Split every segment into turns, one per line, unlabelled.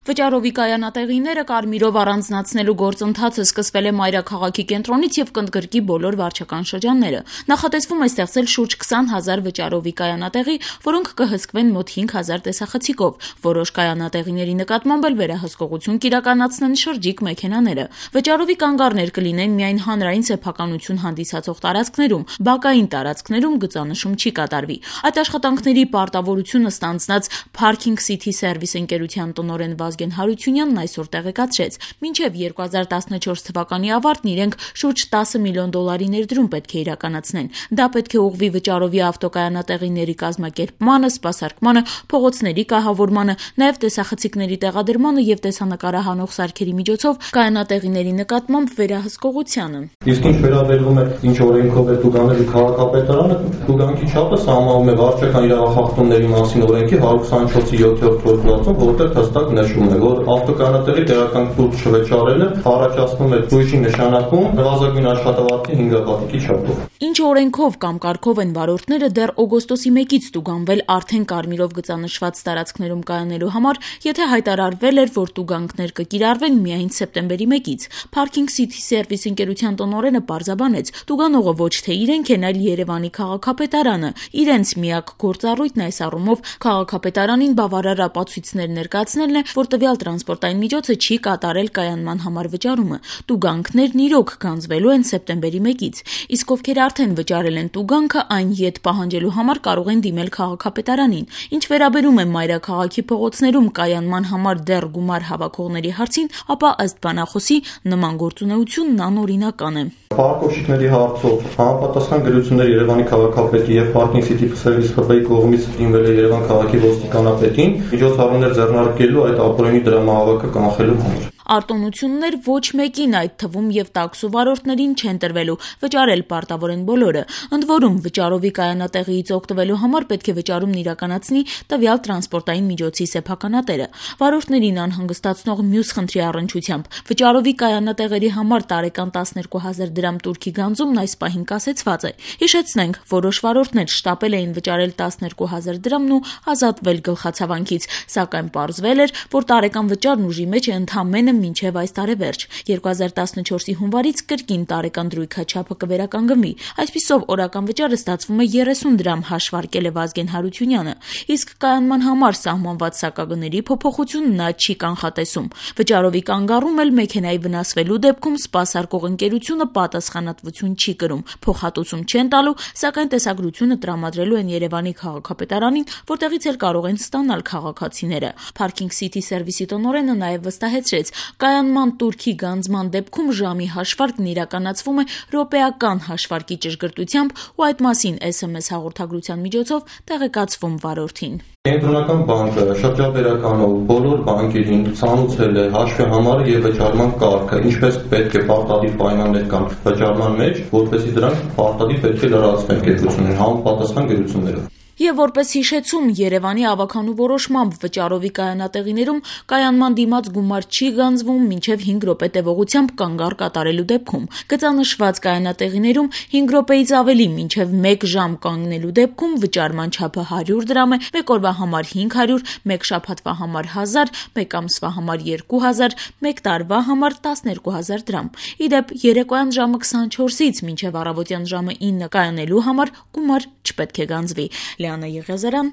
Վճարովի կայանատեղիները կարմիրով առանձնացնելու գործընթացը սկսվել է մայրաքաղաքի կենտրոնից եւ կընդգրկի բոլոր վարչական շրջանները։ Նախատեսվում է ստեղծել շուրջ 20,000 վճարովի կայանատեղի, որոնք կհսկվեն մոտ 5,000 տեսախցիկով։ Որոշ կայանատեղիների նկատմամբ էլ վերահսկողություն կիրականացնեն շրջիկ մեքենաները։ Վճարովի կանգառներ կլինեն միայն հանրային սեփականություն հանդիսացող տարածքներում, բակային տարածքներում գծանշում չի կատարվի։ Այդ աշխատանքների պարտավորությունը ստանձնած Parking City Service ընկերության տնօրեն Վազգեն Հարությունյանն այսօր տեղեկացրեց, մինչև 2014 թվականի ավարտն իրենք շուրջ $10 միլիոն ներդրում պետք է իրականացնեն։ Դա պետք է ուղղվի վճարովի ավտոկայանատեղիների կազմակերպմանը, սպասարկմանը, փողոցների կահավորմանը, նաև տեսախցիկների տեղադրմանը եւ տեսանկարահանող սարքերի միջոցով կայանատեղիների նկատմամբ վերահսկողությանը։
Իսկ ինչ վերաբերվում է ինչ օրենքով է տուգանելու քաղաքապետարանը, տուգանքի չափը սահմանվում է վարչական իրավախախտումների մասին օրենքի 124-7-րդ փոփոխությամբ, որտեղ հստակ նշվում է, որ ավտոկայանատեղի տեղական տուգ չվճարելը առաջացնում է բույժի նշանակում նվազագույն աշխատավարձի 5 հատիկի չափով։
Ինչ օրենքով կամ կարգով են վարորդները դեռ օգոստոսի 1-ից տուգանվել արդեն կարմիրով գծանշված տարածքներում կայանելու համար, եթե հայտարարվել էր, որ տուգանքներ կկիրառվեն միայն սեպտեմբերի 1-ից։ Parking City Service ընկերության տնօրենը պարզաբանեց, տուգանողը ոչ թե իրենք են, այլ Երևանի քաղաքապետարանը։ Իրենց միակ գործառույթն այս առումով քաղաքապետարանին բավարար ապացույցներ ներկայացնելն է, որ տվյալ տրանսպորտային միջոցը չի կատարել կայանման համար վճարումը։ Տուգանքներն իրոք գանձվելու են սեպտեմբերի 1-ից։ Իսկ ովքեր արդեն վճարել են տուգանքը, այն ետ պահանջելու համար կարող են դիմել քաղաքապետարանին։ Ինչ վերաբերում է մայրաքաղաքի փողոցներում կայանման համար դեռ գումար հավաքողների հարցին, ապա ըստ բանախոսի նման գործունեությունն անօրինական է։
Պարկովщիկների հարցով համապատասխան գրություններ Երևանի քաղաքապետի եւ Parking City Service ՀՊ-ի կողմից դիմվել է Երևան քաղաքի ոստիկանապետին միջոցառումներ ձեռնարկելու այդ ապօրինի դրամահավաքը կանխելու համար։
Արտոնություններ ոչ մեկին, այդ թվում եւ տաքսու վարորդներին չեն տրվելու, վճարել պարտավոր են բոլորը։ Ընդ որում, վճարովի կայանատեղիից օգտվելու համար պետք է վճարումն իրականացնի տվյալ տրանսպորտային միջոցի սեփականատերը։ Վարորդներին անհանգստացնող մյուս խնդրի առնչությամբ վճարովի կայանատեղերի համար տարեկան 12,000 դրամ տուրքի գանձումն այս պահին կասեցված է։ Հիշեցնենք, որոշ վարորդներ շտապել էին վճարել 12,000 դրամն ու ազատվել գլխացավանքից, սակայն պարզվել էր, որ տարեկան վճարն ուժի մեջ է ընդամենը մինչև այս տարեվերջ։ 2014-ի հունվարից կրկին տարեկան դրույքաչափը կվերականգնվի։ Այսպիսով օրական վճարը ստացվում է 30 դրամ, հաշվարկել է Վազգեն Հարությունյանը։ Իսկ կայանման համար սահմանված սակագների փոփոխություն նա չի կանխատեսում։ Վճարովի կանգառում էլ մեքենայի վնասվելու դեպքում սպասարկող ընկերությունը պատասխանատվություն չի կրում, փոխհատուցում չեն տալու, սակայն տեսագրությունը տրամադրելու են Երևանի քաղաքապետարանին, որտեղից էլ կարող են ստանալ քաղաքացիները։ Parking City Service-ի տնօրենը նաև վստահեցրեց, կայանման տուրքի գանձման դեպքում ժամի հաշվարկն իրականացվում է րոպեական հաշվարկի ճշգրտությամբ ու այդ մասին SMS հաղորդագրության միջոցով տեղեկացվում վարորդին։
Կենտրոնական բանկը շրջաբերականով բոլոր բանկերին ցանուցել է հաշվի համարը եւ վճարման կարգը, ինչպես պետք է պարտադիր պայմաններ կան վճարման մեջ, որպեսզի դրանք պարտադիր պետք է լրացվեն կեցություններ, համապատասխան գրություններով։
Եվ որպես հիշեցում, Երևանի ավականու որոշմամբ վճարովի կայանատեղիներում կայանման դիմաց գումար չի գանձվում մինչև 5 րոպե տևողությամբ կանգառ կատարելու դեպքում։ Գծանշված կայանատեղիներում 5 րոպեից ավելի մինչև 1 ժամ կանգնելու դեպքում վճարման չափը 100 դրամ է, 1 օրվա համար 500, 1 շաբաթվա համար 1000, 1 ամսվա համար 2000, 1 տարվա համար 12000 դրամ։ Իդեպ երեկոյան ժամը 24-ից մինչև առավոտյան ժամը 9 կայանելու համար գումար չպետք է գանձվի։ Լիանա Եղիազարյան,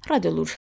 Ռադիոլուր։